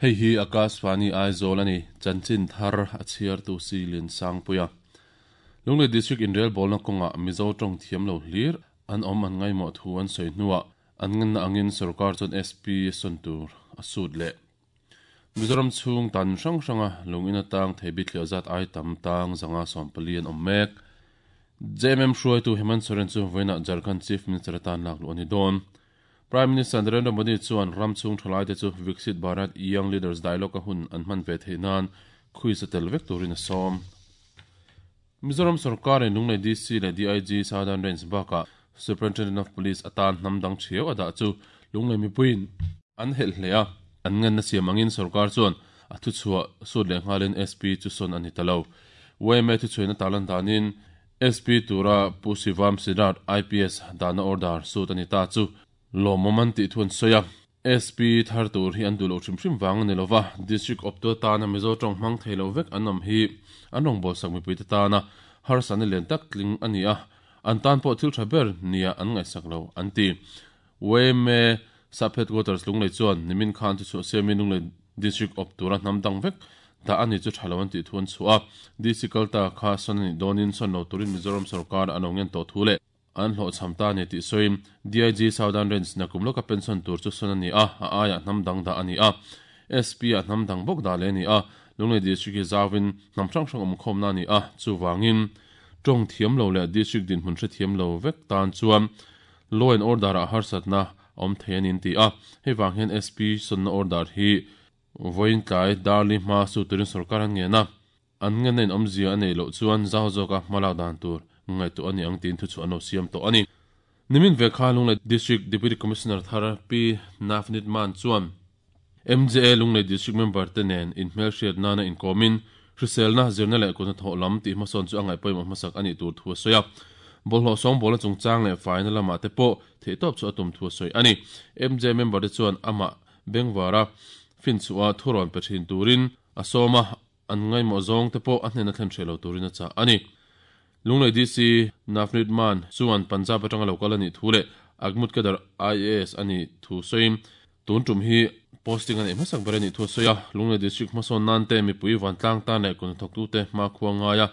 Hei hi Akashvani Aizawl a ni, chanchin thar a chhiartu si Liansangpuia. Lunglei District inrelbawlna kawngah Mizo tawng thiam lo hlir an awm an ngaimawh thu an sawi hnuah an ngenna angin sorkar chuan SP sawn tur a sut leh. Mizoram chhung tan hrang hranga lung in atang thei bithliah zat ai tam tang 140 an awm mek. JMM hruaitu Hemant Soren chu vawiinah Jharkhand Chief Minister atan lakluh a ni dawn. Prime Minister Narendra Modi chuan ram chhung thalaite chu Viksit Bharat Young Leaders Dialogue-a hun an hman ve theih nan quiz a tel vek turin a sawm. Mizoram sorkarin Lunglei DC leh DIG Southern Range bakah Superintendent of Police atan hnam dang thiau a dah chu Lunglei mipuiin an helh hle a, an ngenna siam angin sorkar chuan a thuchhuah sut leh nghalin SP chu sawn a ni ta lo. Yma thuchhuaina tarlan danin SP tura Pu Shivam Siddharth IPS dahna order sut a ni ta chu lawmawm an tih thu an sawi a. SP thar tur hi an duh loh hrim hrim vang a ni lova, District awptu atana Mizo tawng hmang thei lo vek an awm hi an rawngbawlsak mipuite tana harsatna lian tak tling a ni a, an tan pawh thil tha ber nia an ngaihsak lo an ti. Yma Sub Headquarters Lunglei chuan nimin khan chu chhuah siamin Lunglei District awp tura hnam dang vek dah a ni chu tha lo an tih thu an chhuah a, DC kalta kha sawn a nih dawnin sawn lo turin Mizoram sorkar an lo ngen tawh thu leh an hlawhchham ta a ni tih sawiin DIG Southern Range nakum lawka pension tur chu sawn a ni a, a aiah hnam dang dah a ni a, SP ah hnam dang bawk dah leh a ni a, Lunglei District hi zauin hnam hrang hrang awmkhawmna a ni a, chuvangin tawng thiam lo leh District dinhmun hrethiam lo vek tan chuan Law and Order ah harsatna a awm thei a ni an ti a, hei vang hian SP sawnna order hi vawiin tlai Darli hma su turin sorkar an ngen a, an ngenna in awmzia a neih loh chuan zau zawka hmalak dan tur ngaihtuah a ni ang tiin thuchhuah an lo siam tawh a ni. Nimin ve kha Lunglei District Deputy Commissioner thar Pi Navneet Mann chuan MJA Lunglei District member te nen inhmelhriat nana inkawmin hriselna, zirna leh kut hnathawh lam tih hmasawn chu a ngaihpawimawh hmasak a nih tur thu a sawi a. Bawlhhlawh sawngbawlna chungchang leh faina lamah te pawh theihtawp chu a tum thu a sawi a ni. MJA member te chuan amah Bengvara finchhuah a thurawn pe thin turin a sawm a, an ngaimawh zawng te pawh a hnena thlen hreh lo turin a chah a ni. Lunglei DC Navneet Mann chuan Punjab atanga lo kal a nih thu leh Agmut Kedar IAS a nih thu sawiin tun tum hi posting a neih hmasak ber a nih thu a sawi a. Lunglei District hmasawn nan te mipui vantlang tan leh kutnathawktute hmakhua ngaia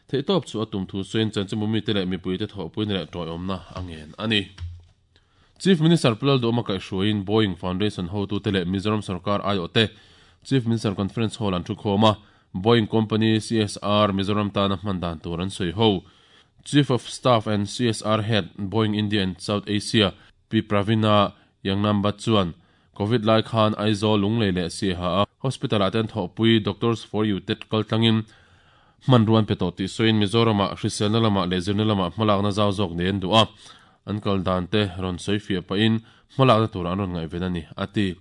theihtawp chu a tum thu sawiin chanchinbu mite leh mipuite thawhpuina leh tawiawmna a ngen a ni. Chief Minister Pu Lalduhawma kaihhruaiin Boeing Foundation hotute leh Mizoram sorkar aiawhte Chief Minister Conference Hall an thukhawm a, Boeing Company CSR Mizoram tana hman dan tur an sawi ho. Chief of Staff and CSR Head, Boeing India and South Asia, Pi Pravina Yangnambat chuan Covid lai khan Aizawl, Lunglei leh Siaha a hospital ah te an thawhpui Doctors for You te kaltlangin hmanrua an pe tawh tih sawiin Mizoramah hriselna lamah leh zirna lamah hmalakna zau zawk nei an duh a, an kal dan te rawn sawi fiah pahin hmalakna tur an rawn ngaihven a ni, a ti.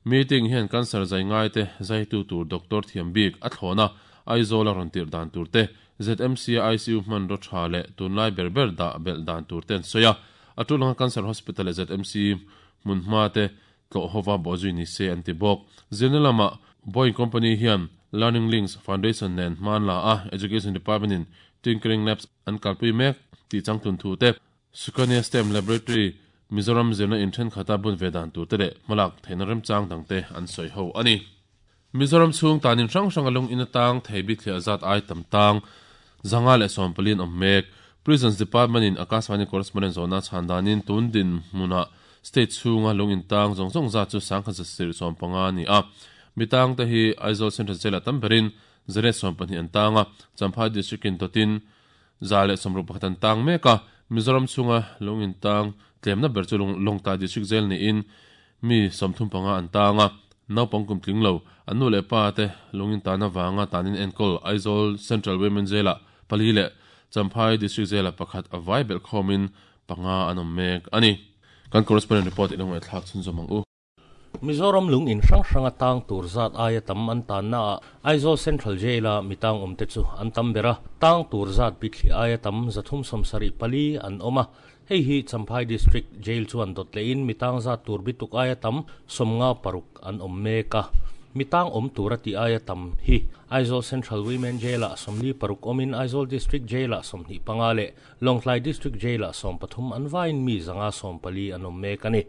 Meeting hian cancer zai ngai te zaitu tur doctor thiam bik a thlawn a, Aizawl a rawn tirh dan tur te, ZMC a ICU hmanraw tha leh tunlai ber ber dah belh dan tur te an sawi a, a tul anga Cancer Hospital leh ZMC hmunhma te tlawh hova bawhzui ni se an ti bawk. Zirna lamah Boeing Company hian Learning Links Foundation nen hman la a, Education Department in Tinkering Labs an kalpui mek tih changtlun thu te, Sukanya STEM Laboratory Mizoram zirna in thenkhat a bun ve dan tur te leh hmalak theihna remchang dang te an sawi ho a ni. Mizoram chhung tanin hrang hrang a lung in atang thei bithliah zat ai tam tang 140 an awm mek. Prisons Department in Akashvani Correspondent zawhna chhan danin tun dinhmunah state chhunga lung in tang zawng zawng zat chu 1175 a ni a. Mi tang te hi Aizawl Central Jail ah tam berin 120 an tang a, Champhai District in dawtin 161 an tang mek a. Mizoram chhunga lung in tang tlemna ber chu Lawngtlai District Jail niin Mi 35 an tang a, naupang kum tling lo, an nu leh pa te lungin tan avanga tanin enkawl Aizawl Central Women Jail-ah pali leh Champhai District Jail-ah pakhat a vai belh khawmin panga an awm mek a ni. Kan correspondent report i lo ngaihthlak chhunzawm ang u. Mizoram lung in hrang hranga tang tur zat aia tam an tanna ah Aizawl Central Jail-a mi tang awmte chu an tam ber a, tang tur zat bithli aia tam 374 an awm a, Hei hi Champhai District Jail chuan dawt lehin mi tang zat tur bituk aia tam 56 an awm mek a. Mi tang awm tur a tih aia tam hi Aizawl Central Women Jail-ah 46 awmin Aizawl District Jail-ah 25 leh Lawngtlai District Jail-ah 13 an vaiin mi 114 an awm mek a ni.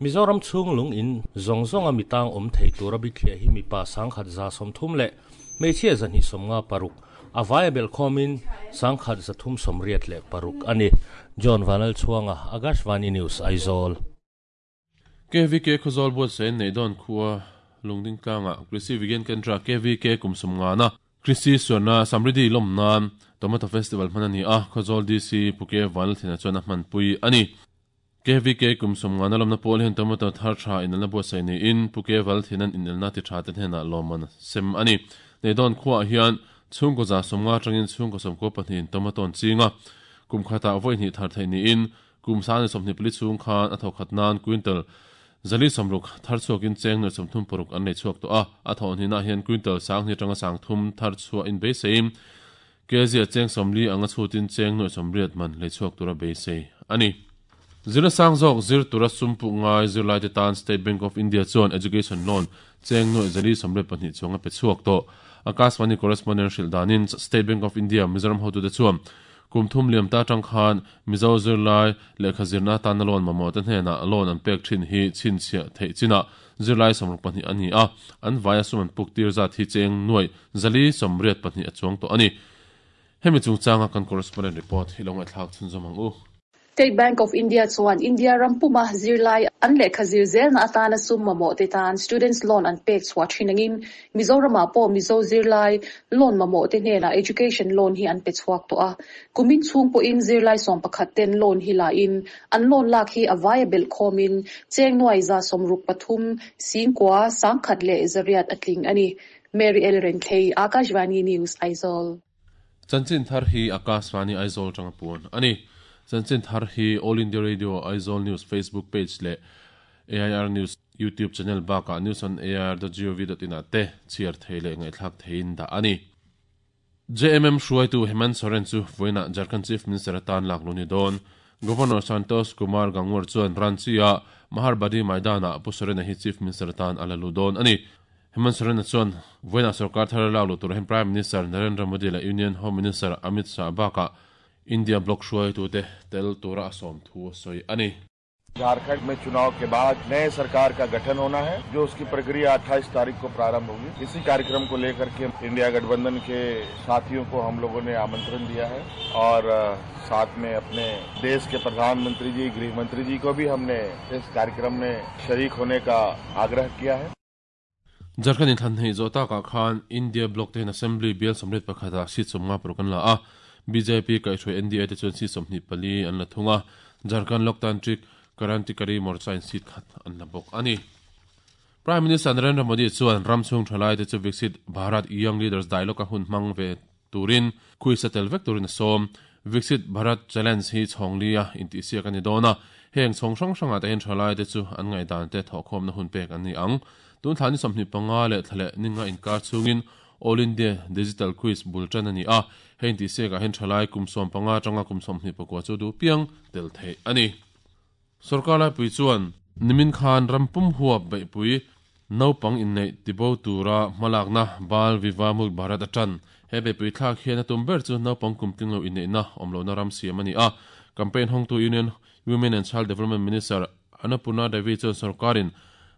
Mizoram chhung lung in zawng zawnga mi tang awm thei tura bithliah hi mipa 1130 leh hmeichhia 256 a vaia belh khawmin 1386 a ni. John Vanlalchhuanga, Akashvani News, Aizawl. KVK Khawzawl buatsaih an neih dawn khua Lungding tlangah Krishi Vigyan Kendra, KVK, kum sawmngana Krishi Suarna Samriddhi lawm nan Tomato Festival hman a ni a, Khawzawl DC Pu Ke Vanlalthena chuan a hmanpui a ni. KVK kum sawmngana lawmna pawl hian tomato thar tha inelna buatsaih niin Pu Ke Valthena'n inelna ti tha te hnenah lawmman a sem a ni. Neidawn khuaah hian chhungkaw 150 atangin chhungkaw 92 in tomato an ching a, kum khatah vawi hnih thar theih niin kum 24 chhung khan a thawkhat nan quintal 460 thar chhuakin cheng nuaih 36 an lei chhuak tawh a, a thawh hnihnaah hian quintal 2000 atanga 3000 thar chhuah inbeiseiin Kezia cheng 40 anga chhutin cheng nuaih 80 man lei chhuak tura beisei a ni. Zirna sang zawk zir tura sum puk ngai zirlaite tan State Bank of India chuan Education Loan cheng nuaih 482 chuang a pe chhuak tawh. Akashvani correspondent hrilh danin State Bank of India Mizoram hotute chuan kum thum liam ta atang khan Mizo zirlai lehkha zirna atana loan mamawhte hnenah loan an pek thin hi chhinchhiah theih chinah Zirlai 62 a ni a, an vaia sum an puk tir zat hi cheng nuaih 482 a chuang tawh a ni. Hemi chungchanga kan correspondent report hi lo ngaihthlak chhunzawm ang u. State Bank of India chuan India ram puma zirlai an lehkha zir zelna atana sum mamawh te tan Students Loan an pek chhuah thin angin Mizoramah pawh Mizo zirlai loan mamawh te hnenah Education Loan hi an pe chhuak tawh a. Kumin chhung pawhin zirlai 11 ten loan hi la in An loan lak hi a vaia belh khawmin cheng nuai 63 singkua 1800 a tling a ni. Mary L. Renthlei, Akashvani News, Aizawl. Chanchin thar hi Akashvani Aizawl atanga puan a ni. Chanchin thar hi All India Radio Aizawl News Facebook page leh AIR News YouTube channel bakah newsonair.gov.in ah te chhiar thei leh ngaihthlak theiin dah a ni. JMM hruaitu Hemant Soren chu vawiinah Jharkhand Chief Minister atan lak luh ni dawn. Governor Santosh Kumar Gangwar chuan Ranchi-a Maharbadi Maidan-ah Pu Soren-a hi Chief Minister atan a la luh dawn a ni. Hemant Soren-a chuan vawiinah sorkar thar lak luh turah hian Prime Minister Narendra Modi leh Union Home Minister Amit Shah bakah India bloc hruaitute tel tura a sawm thu a sawi a ni. Jharkhand में चुनाव के बाद नए सरकार का गठन होना है जो उसकी प्रक्रिया 28 तारीख को प्रारंभ होगी। इसी कार्यक्रम को लेकर के इंडिया गठबंधन के साथियों को हम लोगों ने आमंत्रण दिया है और साथ में अपने देश के प्रधानमंत्री जी, गृह मंत्री जी को भी हमने इस कार्यक्रम में शरीक होने का आग्रह किया है। Jharkhand inthlan hneih zawh takah khan India bloc te hian Assembly bial 81 ah seat 56 an la a, bjp kaihhruai NDA te chuan seat 24 an la thung a, Jharkhand Loktantrik Krantikari Morcha in seat khat an la bawk a ni. Prime Minister Narendra Modi chuan ram chhung thalai te chu Viksit Bharat Young Leaders Dialogue a hun hmang ve turin khuisa tel vek turin a sawm. Viksit Bharat Challenge hi chhawng li a intihsiak a ni dawn a, heng chhawng hrang hrangah te hian thalai te chu an ngaihdan te thawhkhawmna hun pek an ni ang. Tun thla ni 25 leh thla leh ninga inkar chhungin All India Digital Quiz bul tan a ni a, hei intihsiakah hian thalai kum 15 atanga kum 24 chu duh piang tel theih a ni. Sorkar laipui chuan nimin khan ram pum huap beihpui naupang inneih tibo tura hmalakna Bal Vivah Mukt Bharat a tan. He beihpui thlak hian a tum ber chu naupang kum tling lo inneihna awm lohna ram siam a ni a. Campaign hawngtu Union Women and Child Development Minister Annapurna Devi chuan sorkarin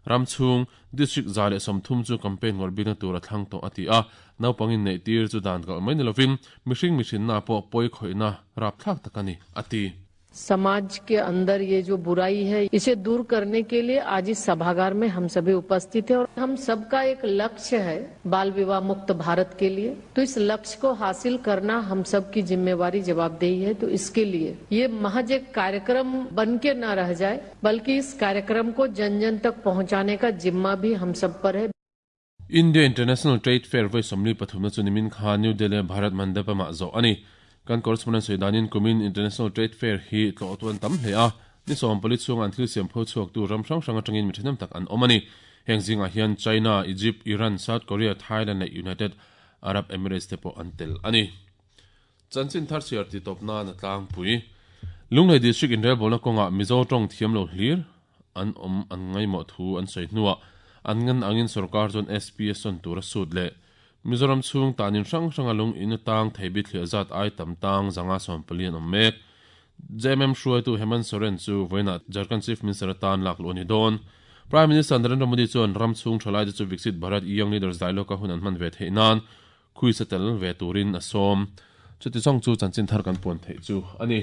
ram chhung district 130 chu campaign ngawrh bikna tur a thlang tawh a ti a. Naupang inneih tir chu dan kalh mai ni lovin mihring mihrinna pawh pawi khawihna rapthlak tak a ni, a ti. समाज के अंदर ये जो बुराई है इसे दूर करने के लिए आज इस सभागार में हम सभी उपस्थित हैं और हम सबका एक लक्ष्य है बाल विवाह मुक्त भारत के लिए, तो इस लक्ष्य को हासिल करना हम सब की जिम्मेवारी जवाबदेही है। तो इसके लिए ये महज एक कार्यक्रम बन के न रह जाए बल्कि इस कार्यक्रम को जन जन तक पहुंचाने का जिम्मा भी हम सब पर है। India International Trade Fair vawi 43 na chu nimin khan New Delhi a Bharat Mandapam ah zawh a ni. Kan correspondent sawi danin kumin International Trade Fair hi tlawh tuan tam hle a, ni 14 chhunga an thil siam pho chhuak tu ram hrang hrang atangin mi thahnem tak an awm a ni. Heng zingah hian China, Egypt, Iran, South Korea, Thailand leh United Arab Emirates te pawh an tel a ni. Chanchin thar chhiar ti tawp nan a tlangpui. Lunglei District inrelbawlna kawngah Mizo tawng thiam lo hlir an awm an ngaihmawh thu an sawi hnuah an ngan angin sorkar chuan SPS sawn tur a sut leh Mizoram chhung tanin hrang hranga lung in atang thei bithliah zat ai tam tang 114 an awm mek. JMM hruaitu Hemant Soren chu vawiinah Jharkhand Chief Minister atan lak luh a ni dawn. Prime Minister Narendra Modi chuan ram chhung thalaite chu Viksit Bharat Young Leaders Dialogue-a hun an hman ve theih nan khuisa tel ve turin a sawm. Chuti zawng chu chanchin thar kan puan theih chu a ni.